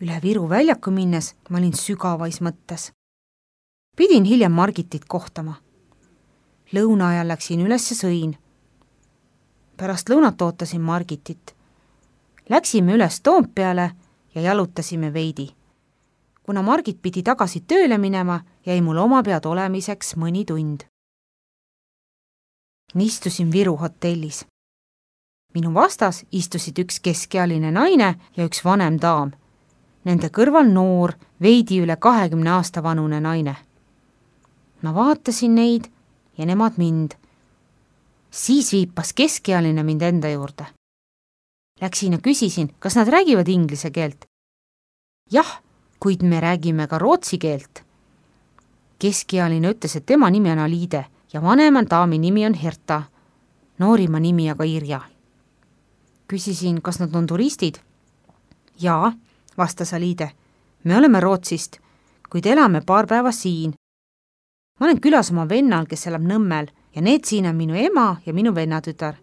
Üle Viru väljaku minnes ma olin sügavais mõttes. Pidin hiljem Margitit kohtama. Lõuna ajal läksin üles ja sõin. Pärast lõunat ootasin Margitit. Läksime üles Toompeale ja jalutasime veidi. Kuna Margit pidi tagasi tööle minema, jäi mul oma pead olemiseks mõni tund. Istusin Viru hotellis. Minu vastas istusid üks keskealine naine ja üks vanem daam. Nende kõrval noor, veidi üle 20 aasta vanune naine. Ma vaatasin neid ja nemad mind. Siis viipas keskealine mind enda juurde. Läksin ja küsisin, kas nad räägivad inglise keelt. Jah, kuid me räägime ka rootsi keelt. Keskealine ütles, et tema nimi on Aliide ja vanema daami nimi on Herta, noorima nimi aga Irja. Küsisin, kas nad on turistid. Jaa, vastas Aliide. Me oleme Rootsist, kuid elame paar päeva siin. Ma olen külas oma vennal, kes elab Nõmmel ja need siin on minu ema ja minu vennatütar.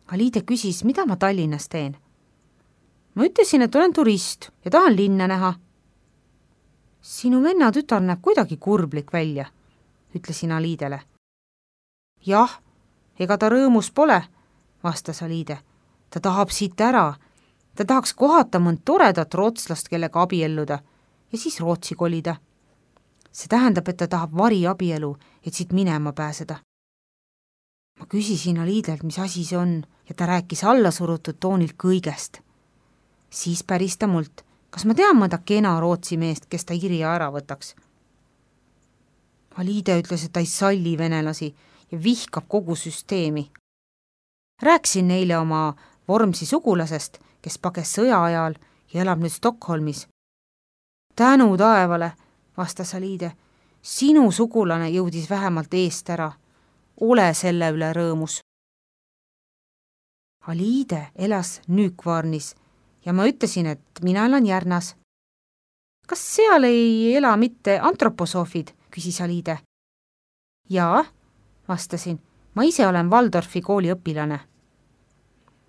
Aliide küsis, mida ma Tallinnas teen. Ma ütlesin, et olen turist ja tahan linna näha. Sinu vennatütar näeb kuidagi kurblik välja, ütlesin Aliidele. Jah, ega ta rõõmus pole, vastas Aliide. Ta tahab siit ära. Ta tahaks kohata mõnd toredat rootslast, kellega abielluda ja siis Rootsi kolida. See tähendab, et ta tahab variabielu, et siit minema pääseda. Ma küsisin Aliidelt, mis asi see on ja ta rääkis allasurutud toonilt kõigest. Siis päris ta mult, kas ma tean mõnda kena Rootsi meest, kes ta Irja ära võtaks. Aliide ütles, et ta ei salli venelasi ja vihkab kogu süsteemi. Rääkisin neile oma Vormsi sugulasest, kes pages sõja ajal ja elab nüüd Stockholmis. Tänu taevale, vastas Aliide, sinu sugulane jõudis vähemalt eest ära. Ole selle üle rõõmus. Aliide elas Nykvarnis ja ma ütlesin, et mina elan Järnas. Kas seal ei ela mitte antroposoofid, küsis Aliide. Jaa, vastasin, ma ise olen Waldorfi kooli õpilane.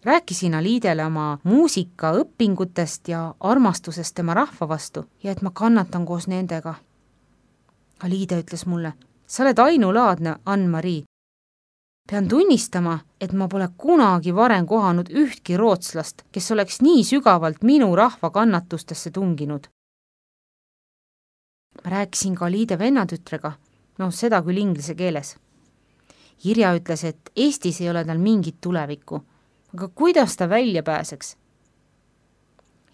Rääkisin Aliidele oma muusikaõpingutest ja armastusest tema rahva vastu ja et ma kannatan koos nendega. Aliide ütles mulle, sa oled ainulaadne, Ann-Marii. Pean tunnistama, et ma pole kunagi varem kohanud ühtki rootslast, kes oleks nii sügavalt minu rahva kannatustesse tunginud. Ma rääkisin ka Aliide vennatütrega, seda küll inglise keeles. Irja ütles, et Eestis ei ole tal mingit tulevikku, aga kuidas ta välja pääseks?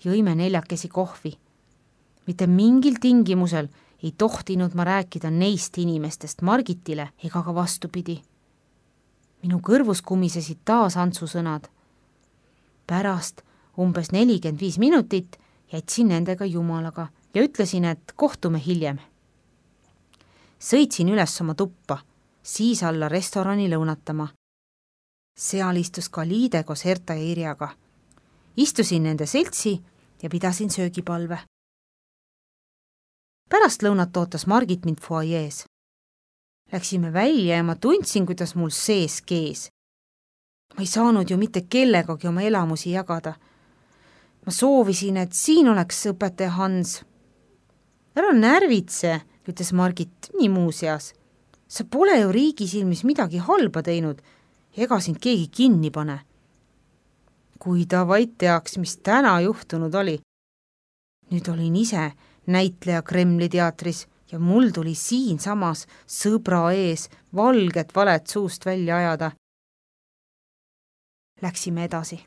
Jõime 4 kohvi. Mitte mingil tingimusel ei tohtinud ma rääkida neist inimestest Margitile ega ka vastupidi. Minu kõrvus kumisesid taas Antsu sõnad. Pärast umbes 45 minutit jätsin nendega jumalaga ja ütlesin, et kohtume hiljem. Sõitsin üles oma tuppa, siis alla restorani lõunatama. Seal istus ka Aliide koos Herta ja Irjaga. Istusin nende seltsi ja pidasin söögipalve. Pärast lõunat ootas Margit mind foajees. Läksime välja ja ma tundsin, kuidas mul sees kees. Ma ei saanud ju mitte kellegagi oma elamusi jagada. Ma soovisin, et siin oleks õpetaja Hans. Ära närvitse, ütles Margit nii muuseas. Sa pole ju riigi silmis midagi halba teinud. Ega sind keegi kinni pane. Kui ta vaid teaks, mis täna juhtunud oli. Nüüd olin ise näitleja Kremli teatris ja mul tuli siin samas sõbra ees valget valet suust välja ajada. Läksime edasi.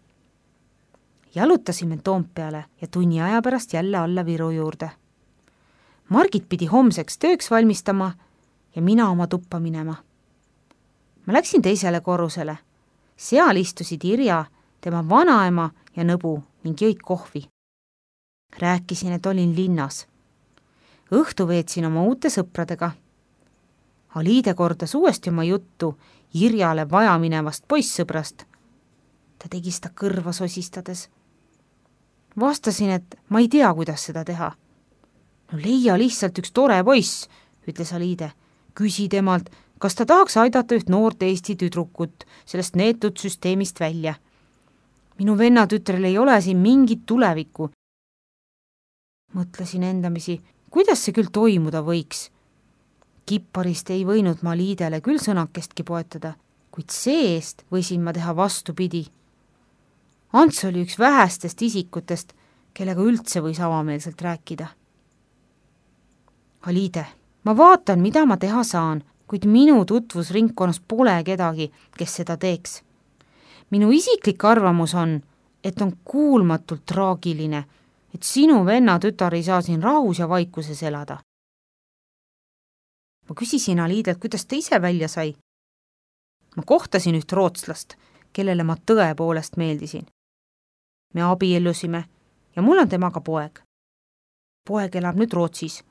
Jalutasime Toompeale ja tunni aja pärast jälle alla Viru juurde. Margit pidi homseks tööks valmistama ja mina oma tuppa minema. Ma läksin teisele korrusele. Seal istusid Irja, tema vanaema ja nõbu ning jõid kohvi. Rääkisin, et olin linnas. Õhtu veetsin oma uute sõpradega. Aliide kordas uuesti oma juttu Irjale vaja minevast poissõbrast. Ta tegi seda kõrva sosistades. Vastasin, et ma ei tea, kuidas seda teha. Leia lihtsalt üks tore poiss, ütles Aliide. Küsi temalt, kas ta tahaks aidata üht noort Eesti tüdrukut sellest neetud süsteemist välja. Minu vennatütrel ei ole siin mingit tulevikku Mõtlesin endamisi, kuidas see küll toimuda võiks. Kipparist ei võinud ma Liidele küll sõnakestki poetada, kuid see-eest võisin ma teha vastupidi. Ants oli üks vähestest isikutest, kellega üldse võis avameelselt rääkida. Liide, ma vaatan, mida ma teha saan, kuid minu tutvusringkonnas pole kedagi, kes seda teeks. Minu isiklik arvamus on, et on kuulmatult traagiline, et sinu venna tütar ei saa siin rahus ja vaikuses elada. Ma küsisin Aliidelt, kuidas ta ise välja sai. Ma kohtasin üht rootslast, kellele ma tõepoolest meeldisin. Me abiellusime ja mul on temaga poeg. Poeg elab nüüd Rootsis.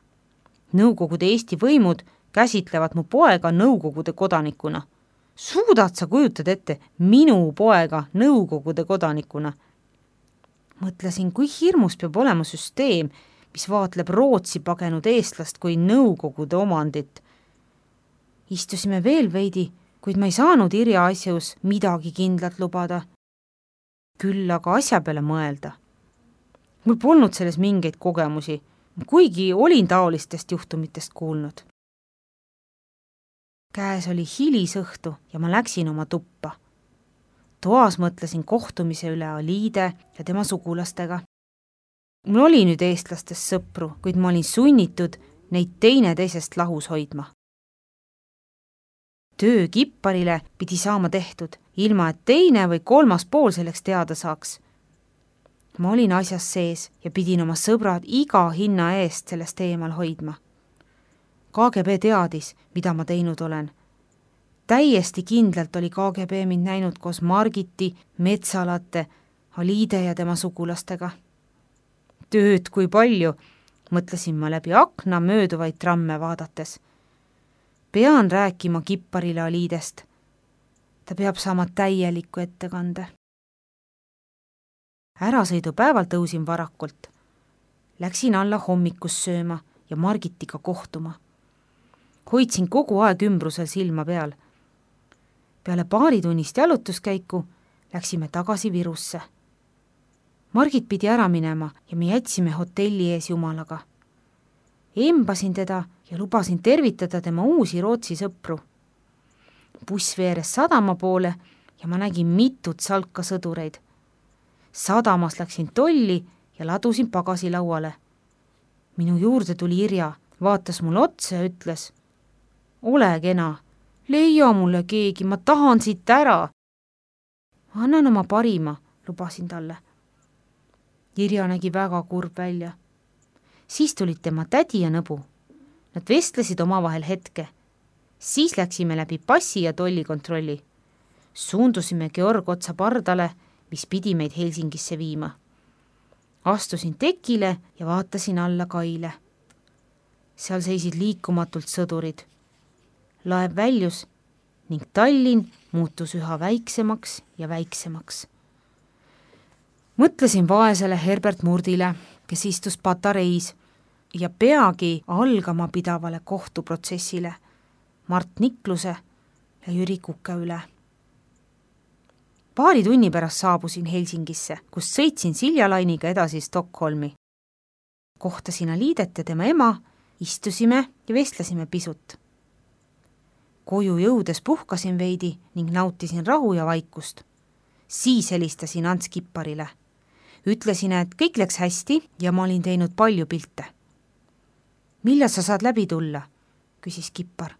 Nõukogude Eesti võimud käsitlevad mu poega Nõukogude kodanikuna. Suudad sa kujutada ette minu poega Nõukogude kodanikuna? Mõtlesin, kui hirmus peab olema süsteem, mis vaatleb Rootsi pagenud eestlast kui Nõukogude omandit. Istusime veel veidi, kuid ma ei saanud Irja asjus midagi kindlat lubada. Küll aga asja peale mõelda. Mul polnud selles mingeid kogemusi, kuigi olin taolistest juhtumitest kuulnud. Käes oli hilisõhtu ja ma läksin oma tuppa. Toas mõtlesin kohtumise üle Aliide ja tema sugulastega. Mul oli nüüd eestlastest sõpru, kuid ma olin sunnitud neid teineteisest lahus hoidma. Töö Kipparile pidi saama tehtud, ilma et teine või kolmas pool selleks teada saaks. Ma olin asjas sees ja pidin oma sõbrad iga hinna eest sellest eemal hoidma. KGB teadis, mida ma teinud olen. Täiesti kindlalt oli KGB mind näinud koos Margiti, Metsalate, Aliide ja tema sugulastega. Tööd kui palju, mõtlesin ma läbi akna mööduvaid tramme vaadates. Pean rääkima Kipparile Aliidest. Ta peab saama täieliku ettekande. Ärasõidupäeval tõusin varakult. Läksin alla hommikus sööma ja Margitiga kohtuma. Hoidsin kogu aeg ümbrusel silma peal. Peale paaritunnist jalutuskäiku läksime tagasi Virusse. Margit pidi ära minema ja me jätsime hotelli ees jumalaga. Embasin teda ja lubasin tervitada tema uusi Rootsi sõpru. Buss veeres sadama poole ja ma nägin mitut salka sõdureid. Sadamas läksin tolli ja ladusin pagasilauale. Minu juurde tuli Irja, vaatas mul otsa ja ütles: ole kena, leia mulle keegi, ma tahan siit ära. Annan oma parima, lubasin talle. Irja nägi väga kurb välja. Siis tulid tema tädi ja nõbu. Nad vestlesid omavahel hetke. Siis läksime läbi passi ja tollikontrolli. Suundusime Georg otsa pardale, mis pidi meid Helsingisse viima. Astusin tekile ja vaatasin alla kaile. Seal seisid liikumatult sõdurid. Laev väljus ning Tallinn muutus üha väiksemaks ja väiksemaks. Mõtlesin vaesele Herbert Murdile, kes istus patareis ja peagi algama pidavale kohtuprotsessile Mart Nikluse ja Jüri Kuke üle. Paari tunni pärast saabusin Helsingisse, kus sõitsin Siljalainiga edasi Stockholmi. Kohtasin Aliidet ja tema ema, istusime ja vestlesime pisut. Koju jõudes puhkasin veidi ning nautisin rahu ja vaikust. Siis helistasin Ants Kipparile. Ütlesin, et kõik läks hästi ja ma olin teinud palju pilte. Millal sa saad läbi tulla? Küsis Kippar.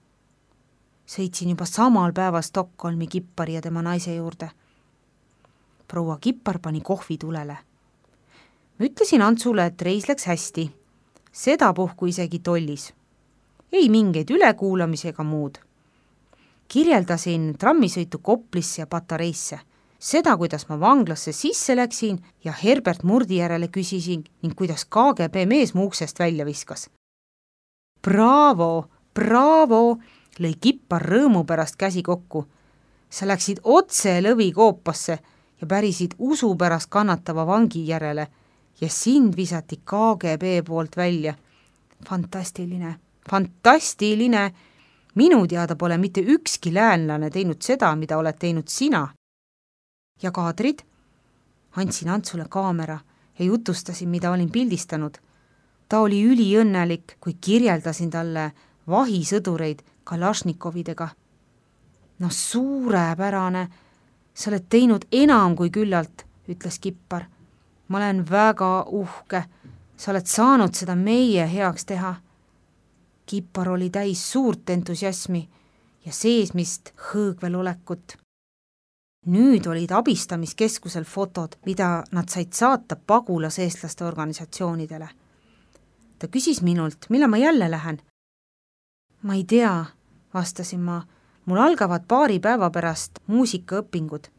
Sõitsin juba samal päeval Stockholmi Kippari ja tema naise juurde. Proua Kippar pani kohvi tulele. Ma ütlesin Antsule, et reis läks hästi. Sedapuhku isegi tollis. Ei mingeid ülekuulamisi ega muud. Kirjeldasin trammisõitu Koplisse ja Patareisse. Seda, kuidas ma vanglasse sisse läksin ja Herbert Murdi järele küsisin ning kuidas KGB mees mu uksest välja viskas. Bravo, bravo, lõi Kippar rõõmu pärast käsi kokku. Sa läksid otse lõvikoopasse ja pärisid usu pärast kannatava vangi järele ja sind visati KGB poolt välja. Fantastiline, fantastiline. Minu teada pole mitte ükski läänlane teinud seda, mida oled teinud sina. Ja kaadrid? Andsin Antsule kaamera ja jutustasin, mida olin pildistanud. ta oli üliõnnelik, kui kirjeldasin talle vahisõdureid Kalašnikovidega. No suurepärane, sa oled teinud enam kui küllalt, ütles Kippar. Ma olen väga uhke, sa oled saanud seda meie heaks teha. Kippar oli täis suurt entusiasmi ja seesmist hõõgvel olekut. Nüüd olid abistamiskeskusel fotod, mida nad said saata pagulaseestlaste organisatsioonidele. Ta küsis minult, millal ma jälle lähen. Ma ei tea, vastasin ma, mul algavad paari päeva pärast muusikaõpingud.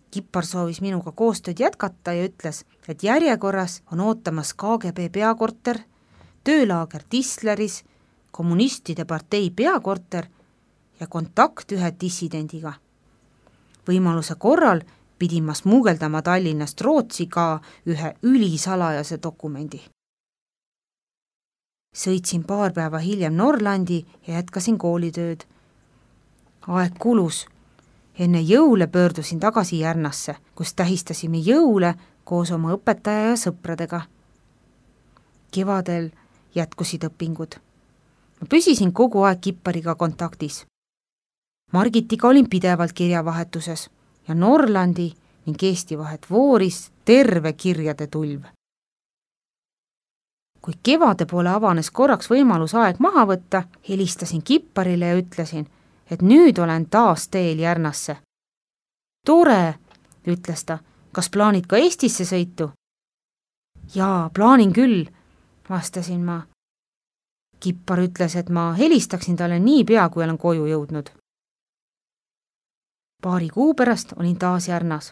Kippar soovis minuga koostööd jätkata ja ütles, et järjekorras on ootamas KGB peakorter, töölaager Tisleris, kommunistide partei peakorter ja kontakt ühe dissidendiga. Võimaluse korral pidin ma smugeldama Tallinnast Rootsi ka ühe ülisalajase dokumendi. Sõitsin paar päeva hiljem Norlandi ja jätkasin koolitööd. Aeg kulus. Enne jõule pöördusin tagasi Järnasse, kus tähistasime jõule koos oma õpetaja ja sõpradega. Kevadel jätkusid õpingud. Ma püsisin kogu aeg Kippariga kontaktis. Margitiga olin pidevalt kirjavahetuses ja Norlandi ning Eesti vahet vooris terve kirjade tulv. Kui kevade poole avanes korraks võimalus aeg maha võtta, helistasin Kipparile ja ütlesin, et nüüd olen taas teel Järnasse. Tore, ütles ta, kas plaanid ka Eestisse sõitu? Jaa, plaanin küll, vastasin ma. Kippar ütles, et ma helistaksin talle nii pea, kui olen koju jõudnud. Paari kuu pärast olin taas Järnas.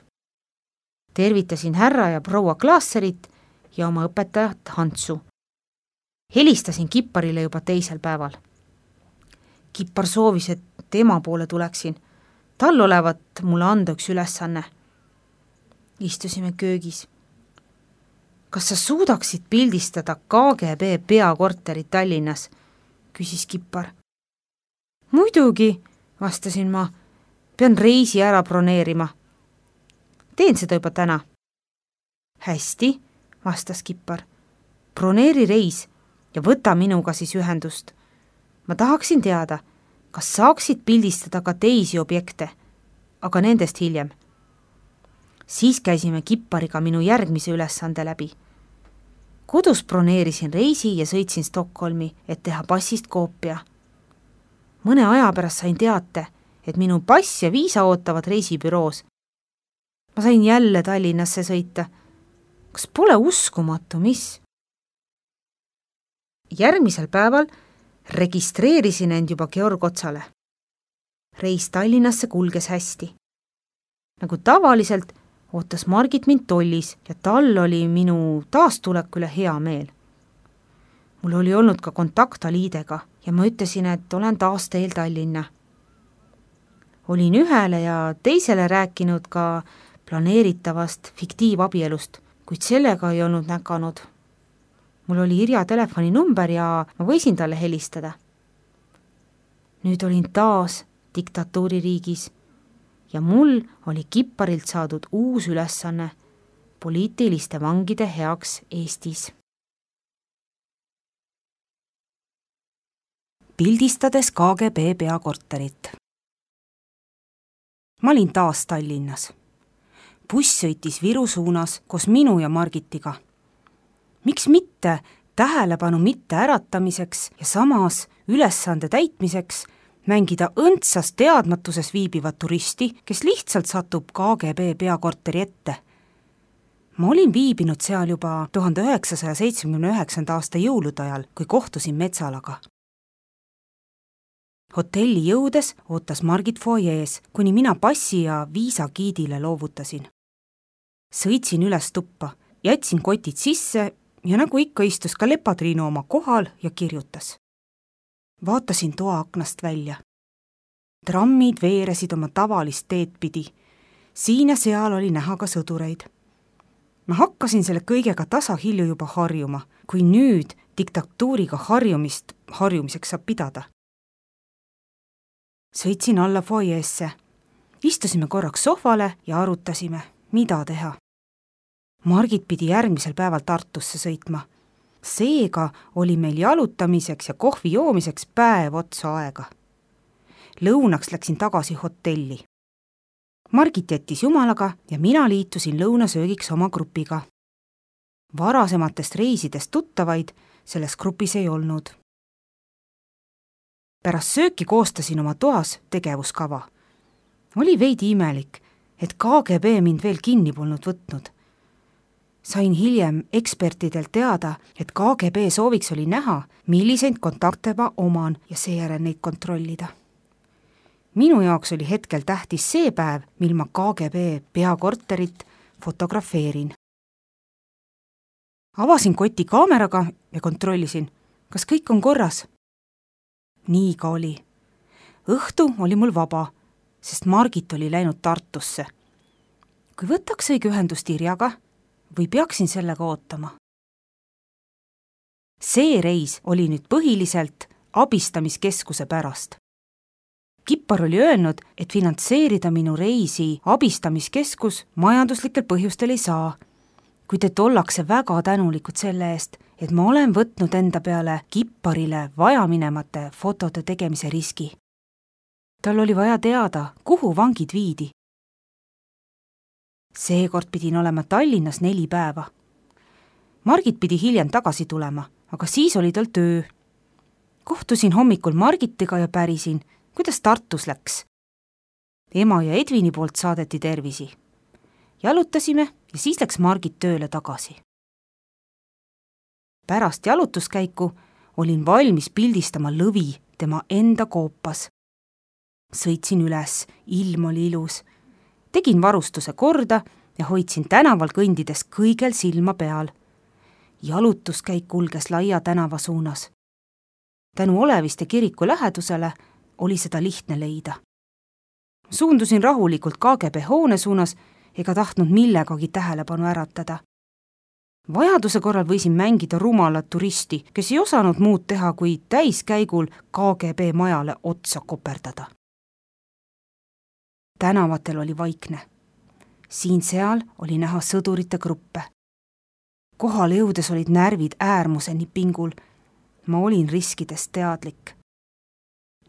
Tervitasin härra ja proua Klaasserit ja oma õpetajat Hantsu. Helistasin Kipparile juba teisel päeval. Kippar soovis, et tema poole tuleksin. Tal olevat mulle anda üks ülesanne. Istusime köögis. Kas sa suudaksid pildistada KGB peakorterit Tallinnas? Küsis Kippar. Muidugi, vastasin ma. Pean reisi ära broneerima. Teen seda juba täna. Hästi, vastas Kippar. Broneeri reis ja võta minuga siis ühendust. Ma tahaksin teada, kas saaksid pildistada ka teisi objekte, aga nendest hiljem. Siis käisime Kippariga minu järgmise ülesande läbi. Kodus broneerisin reisi ja sõitsin Stockholmi, et teha passist koopia. Mõne aja pärast sain teate, et minu pass ja viisa ootavad reisibüroos. Ma sain jälle Tallinnasse sõita. Kas pole uskumatu, mis? Järgmisel päeval registreerisin end juba Georg Otsale. Reis Tallinnasse kulges hästi. Nagu tavaliselt ootas Margit mind tollis ja tal oli minu taastuleku üle hea meel. Mul oli olnud ka kontakt Aliidega ja ma ütlesin, et olen taas teel Tallinna. Olin ühele ja teisele rääkinud ka planeeritavast fiktiivabielust, kuid sellega ei olnud näkanud. Mul oli Irja telefoninumber ja ma võisin talle helistada. Nüüd olin taas diktatuuririigis ja mul oli Kipparilt saadud uus ülesanne poliitiliste vangide heaks Eestis. Pildistades KGB peakorterit. Ma olin taas Tallinnas. Buss sõitis Viru suunas koos minu ja Margitiga. Miks mitte tähelepanu mitte äratamiseks ja samas ülesande täitmiseks mängida õndsas teadmatuses viibivat turisti, kes lihtsalt satub KGB peakorteri ette. Ma olin viibinud seal juba 1979. aasta jõulude ajal, kui kohtusin Metsalaga. Hotelli jõudes ootas Margit foajees, kuni mina passi ja viisa giidile loovutasin. Sõitsin üles tuppa, jätsin kotid sisse ja nagu ikka istus ka Lepatriinu oma kohal ja kirjutas. Vaatasin toa aknast välja. Trammid veeresid oma tavalist teed pidi. Siin ja seal oli näha ka sõdureid. Ma hakkasin selle kõigega tasahilju juba harjuma, kui nüüd diktatuuriga harjumiseks saab pidada. Sõitsin alla foajeesse. Istusime korraks sohvale ja arutasime, mida teha. Margit pidi järgmisel päeval Tartusse sõitma. Seega oli meil jalutamiseks ja kohvi joomiseks päev otsa aega. Lõunaks läksin tagasi hotelli. Margit jättis jumalaga ja mina liitusin lõunasöögiks oma grupiga. Varasematest reisidest tuttavaid selles grupis ei olnud. Pärast sööki koostasin oma toas tegevuskava. Oli veidi imelik, et KGB mind veel kinni polnud võtnud. Sain hiljem ekspertidelt teada, et KGB sooviks oli näha, milliseid kontakte ma oman ja seejärel neid kontrollida. Minu jaoks oli hetkel tähtis see päev, mil ma KGB peakorterit fotografeerin. Avasin koti kaameraga ja kontrollisin, kas kõik on korras. Nii ka oli. Õhtu oli mul vaba, sest Margit oli läinud Tartusse. Kui võtaks õige ühendust Irjaga või peaksin sellega ootama? See reis oli nüüd põhiliselt abistamiskeskuse pärast. Kippar oli öelnud, et finantseerida minu reisi abistamiskeskus majanduslikel põhjustel ei saa, kuid et ollakse väga tänulikud selle eest, et ma olen võtnud enda peale Kipparile vajaminemate fotode tegemise riski. Tal oli vaja teada, kuhu vangid viidi. Seekord pidin olema Tallinnas 4 päeva. Margit pidi hiljem tagasi tulema, aga siis oli tal töö. Kohtusin hommikul Margitiga ja pärisin, kuidas Tartus läks. Ema ja Edvini poolt saadeti tervisi. Jalutasime ja siis läks Margit tööle tagasi. Pärast jalutuskäiku olin valmis pildistama lõvi tema enda koopas. Sõitsin üles, ilm oli ilus. Tegin varustuse korda ja hoidsin tänaval kõndides kõigel silma peal. Jalutuskäik kulges laia tänava suunas. Tänu Oleviste kiriku lähedusele oli seda lihtne leida. Suundusin rahulikult KGB hoone suunas ega tahtnud millegagi tähelepanu äratada. Vajaduse korral võisin mängida rumalat turisti, kes ei osanud muud teha, kui täiskäigul KGB majale otsa koperdada. Tänavatel oli vaikne. Siin-seal oli näha sõdurite gruppe. Kohale jõudes olid närvid äärmuseni pingul. Ma olin riskidest teadlik.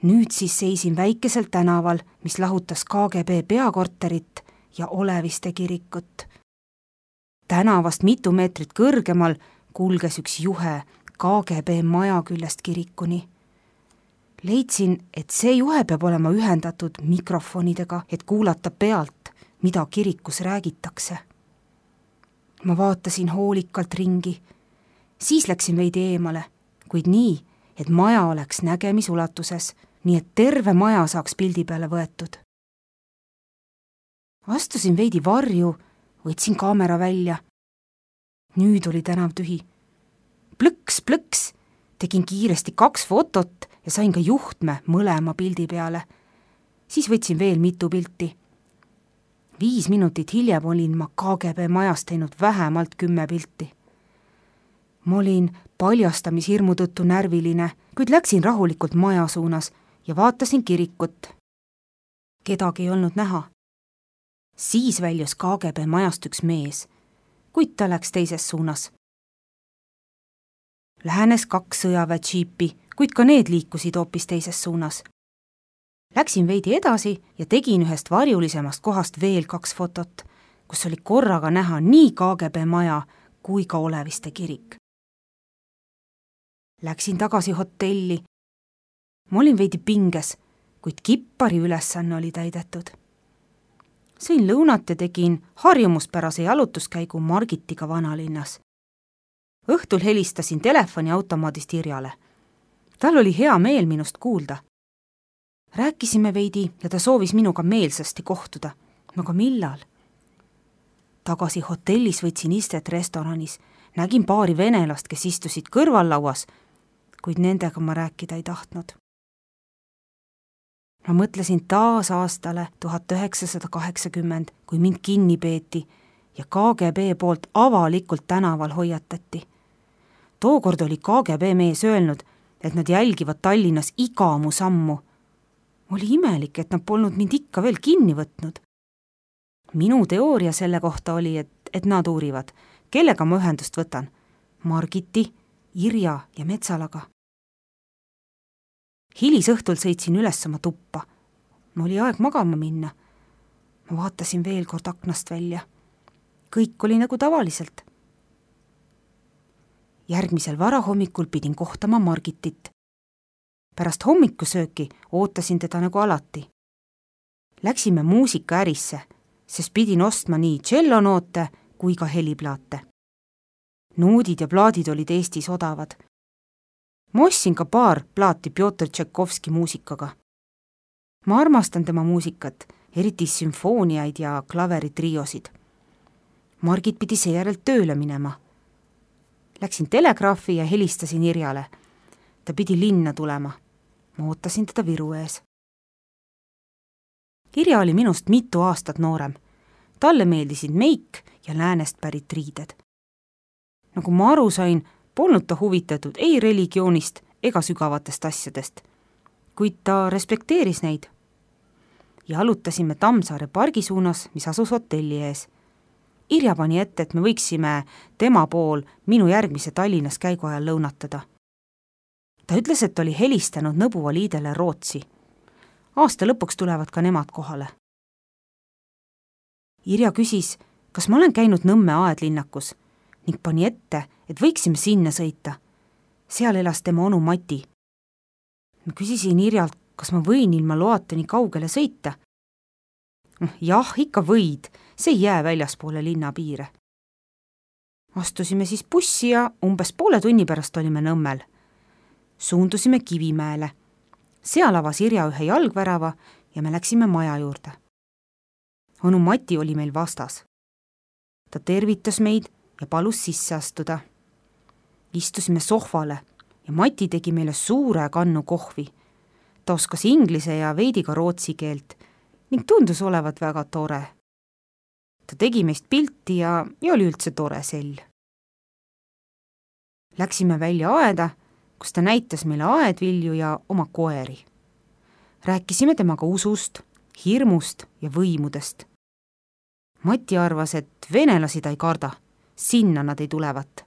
Nüüd siis seisin väikesel tänaval, mis lahutas KGB peakorterit ja Oleviste kirikut. Tänavast mitu meetrit kõrgemal kulges üks juhe KGB maja küljest kirikuni. Leidsin, et see juhe peab olema ühendatud mikrofonidega, et kuulata pealt, mida kirikus räägitakse. Ma vaatasin hoolikalt ringi. Siis läksin veidi eemale, kuid nii, et maja oleks nägemisulatuses, nii et terve maja saaks pildi peale võetud. Astusin veidi varju, võtsin kaamera välja. Nüüd oli tänav tühi. Plõks, tegin kiiresti 2 fotot ja sain ka juhtme mõlema pildi peale. Siis võtsin veel mitu pilti. 5 minutit hiljem olin ma KGB majas teinud vähemalt 10 pilti. Ma olin paljastamishirmu tõttu närviline, kuid läksin rahulikult maja suunas ja vaatasin kirikut. Kedagi ei olnud näha. Siis väljus KGB majast üks mees, kuid ta läks teises suunas. Lähenes 2 sõjaväedžiipi, kuid ka need liikusid hoopis teises suunas. Läksin veidi edasi ja tegin ühest varjulisemast kohast veel 2 fotot, kus oli korraga näha nii KGB maja kui ka Oleviste kirik. Läksin tagasi hotelli. Ma olin veidi pinges, kuid Kippari ülesanne oli täidetud. Sõin lõunat ja tegin harjumuspärase jalutuskäigu Margitiga vanalinnas. Õhtul helistasin telefoniautomaadist Irjale. Tal oli hea meel minust kuulda. Rääkisime veidi ja ta soovis minuga meelsasti kohtuda. Aga millal? Tagasi hotellis võtsin istet restoranis. Nägin paari venelast, kes istusid kõrvallauas, kuid nendega ma rääkida ei tahtnud. Ma mõtlesin taas aastale 1980, kui mind kinni peeti ja KGB poolt avalikult tänaval hoiatati. Tookord oli KGB mees öelnud, et nad jälgivad Tallinnas iga mu sammu. Oli imelik, et nad polnud mind ikka veel kinni võtnud. Minu teooria selle kohta oli, et nad uurivad, kellega ma ühendust võtan. Margiti Irja ja Metsalaga. Hilisõhtul sõitsin üles oma tuppa. Oli aeg magama minna. Ma vaatasin veel kord aknast välja. Kõik oli nagu tavaliselt. Järgmisel varahommikul pidin kohtama Margitit. Pärast hommikusööki ootasin teda nagu alati. Läksime muusikaärisse, sest pidin ostma nii tšellonoote kui ka heliplaate. Noodid ja plaadid olid Eestis odavad. Ma ostsin ka paar plaati Pjotr Tšaikovski muusikaga. Ma armastan tema muusikat, eriti sümfooniaid ja klaveritriosid. Margit pidi seejärel tööle minema. Läksin telegraafi ja helistasin Irjale. Ta pidi linna tulema. Ma ootasin teda Viru ees. Irja oli minust mitu aastat noorem. Talle meeldisid meik ja läänest pärit riided. Nagu ma aru sain, polnud ta huvitatud ei religioonist ega sügavatest asjadest, kuid ta respekteeris neid. Jalutasime Tammsaare pargi suunas, mis asus hotelli ees. Irja pani ette, et me võiksime tema pool minu järgmise Tallinnas käigu ajal lõunatada. Ta ütles, et oli helistanud Nõbuva liidele Rootsi. Aasta lõpuks tulevad ka nemad kohale. Irja küsis, kas ma olen käinud Nõmme aedlinnakus ning pani ette, et võiksime sinna sõita. Seal elas tema onu Mati. Ma küsisin Irjalt, kas ma võin ilma loata nii kaugele sõita. Jah, ikka võid, see ei jää väljaspoole linna piire. Astusime siis bussi ja umbes poole tunni pärast olime Nõmmel. Suundusime Kivimäele. Seal avas Irja ühe jalgvärava ja me läksime maja juurde. Onu Mati oli meil vastas. Ta tervitas meid ja palus sisse astuda. Istusime sohvale ja Mati tegi meile suure kannu kohvi. Ta oskas inglise ja veidi ka rootsi keelt ning tundus olevat väga tore. Ta tegi meist pilti ja oli üldse tore sell. Läksime välja aeda, kus ta näitas meile aedvilju ja oma koeri. Rääkisime temaga usust, hirmust ja võimudest. Mati arvas, et venelasi ta ei karda, sinna nad ei tulevat.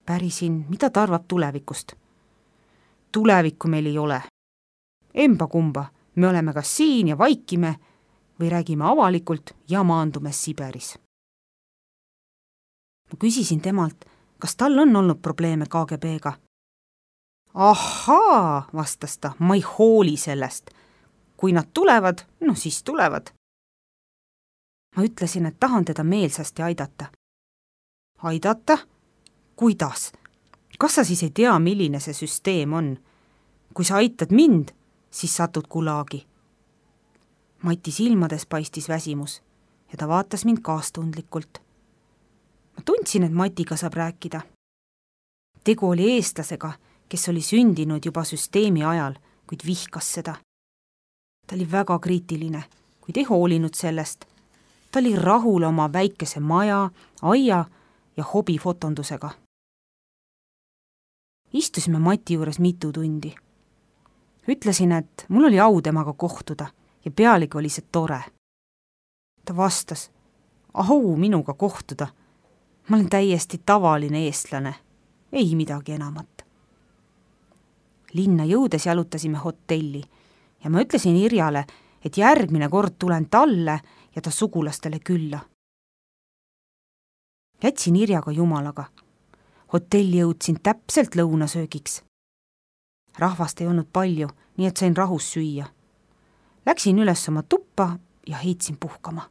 Pärisin, mida ta arvab tulevikust. Tulevikku meil ei ole. Emba kumba, me oleme kas siin ja vaikime või räägime avalikult ja maandume Siberis. Ma küsisin temalt, kas tal on olnud probleeme KGB-ga. Ahaa, vastas ta, ma ei hooli sellest. Kui nad tulevad, siis tulevad. Ma ütlesin, et tahan teda meelsasti aidata. Aidata? Kuidas? Kas sa siis ei tea, milline see süsteem on? Kui sa aitad mind, siis satud gulaagi. Mati silmades paistis väsimus ja ta vaatas mind kaastundlikult. Ma tundsin, et Matiga saab rääkida. Tegu oli eestlasega, kes oli sündinud juba süsteemi ajal, kuid vihkas seda. Ta oli väga kriitiline, kuid ei hoolinud sellest. Ta oli rahul oma väikese maja, aia ja hobifotondusega. Istusime Mati juures mitu tundi. Ütlesin, et mul oli au temaga kohtuda ja pealegi oli see tore. Ta vastas, au minuga kohtuda. Ma olen täiesti tavaline eestlane, ei midagi enamat. Linna jõudes jalutasime hotelli ja ma ütlesin Irjale, et järgmine kord tulen talle ja ta sugulastele külla. Jätsin Irjaga jumalaga. Hotelli jõudsin täpselt lõunasöögiks. Rahvast ei olnud palju, nii et sain rahus süüa. Läksin üles oma tuppa ja heitsin puhkama.